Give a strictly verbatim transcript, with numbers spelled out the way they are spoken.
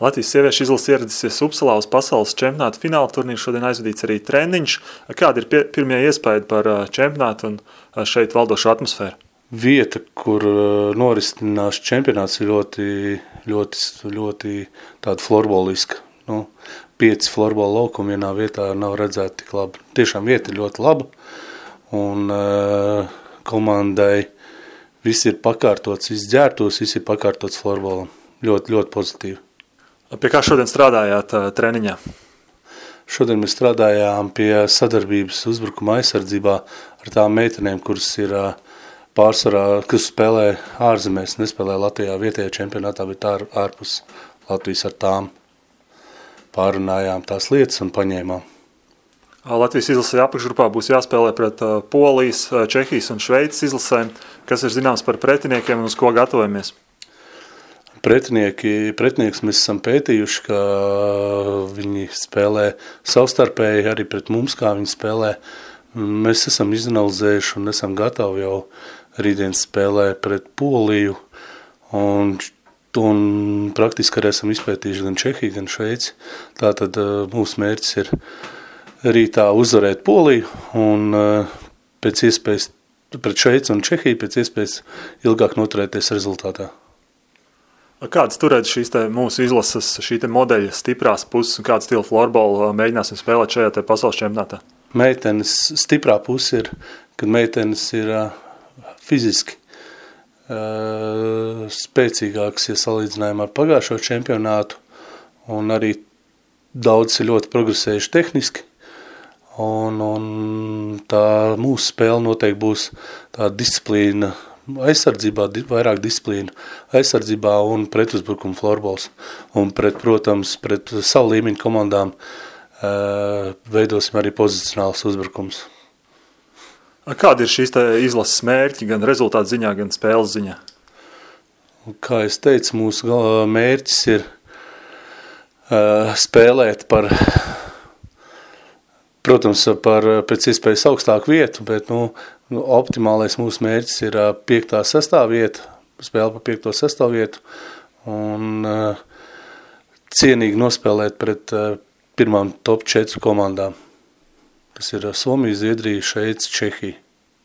Latvijas sieviešu izlase ieradusies Upsalā uz pasaules čempionāta fināla turnīru. Šodien aizvadīts arī treniņš. Kādi ir pie, pirmie iespējas par čempionātu un šeit valdošu atmosfēru? Vieta, kur norisinās čempionāts, ir ļoti, ļoti, ļoti tāda florboliska. Nu, pieci florbola laukumi vienā vietā nav redzēti tik labi. Tiešām vieta ir ļoti laba un uh, komandai viss ir pakārtots, viss ģērtos, viss ir pakārtots florbolam. Ļoti, ļoti pozitīvi. Pie kā šodien strādājāt uh, treniņā? Šodien mēs strādājām pie sadarbības uzbrukuma aizsardzībā ar tām meitenēm, kuras ir uh, pārsvarā, kas spēlē ārzemēs, nespēlē Latvijā vietējā čempionātā, bet ār, ārpus Latvijas ar tām. Pārunājām tās lietas un paņēmām. Latvijas izlasē apakšgrupā būs jāspēlē pret Polijas, Čehijas un Šveices izlasēm. Kas ir zināms par pretiniekiem un uz ko gatavojamies? Pretinieki, pretinieks mēs esam pētījuši, ka viņi spēlē savstarpēji arī pret mums, kā viņi spēlē. Mēs esam izanalizējuši un esam gatavi jau rītdien spēlē pret Poliju un Un praktiski arī esam izpētījuši gan Čehiju, gan Šveici. Tātad mūsu mērķis ir rītā uzvarēt Poliju un pēc iespējas pret Šveici un Čehiju pēc iespējas ilgāk noturēties rezultātā. Kādas turēt šīs te mūsu izlases, šī te modeļa stiprās puses un kādu stilu florbolu mēģināsim spēlēt šajā te pasaules čempionātā? Meitenes stiprā puse ir, kad meitenes ir fiziski Uh, spēcīgāks, ja salīdzinājumā ar pagājušo čempionātu, un arī daudz ir ļoti progresējuši tehniski, un, un tā mūsu spēle noteikti būs tā disciplīna aizsardzībā, vairāk disciplīna aizsardzībā un pretuzbrukuma florbols, un pret, protams, pret savu līmeņu komandām uh, veidosim arī pozicionāls uzbrukums. Kādi ir šīs te izlases mērķi, gan rezultātu ziņā, gan spēles ziņā? Kā es teicu, mūsu mērķis ir uh, spēlēt par, protams, par pēc iespējas augstāku vietu, bet nu, optimālais mūsu mērķis ir uh, piektā, sestā vieta, spēle par piekto, sesto vietu un uh, cienīgi nospēlēt pret uh, pirmām top četru komandām. Tas ir Somija, Zviedrija, Šveice, Čehija.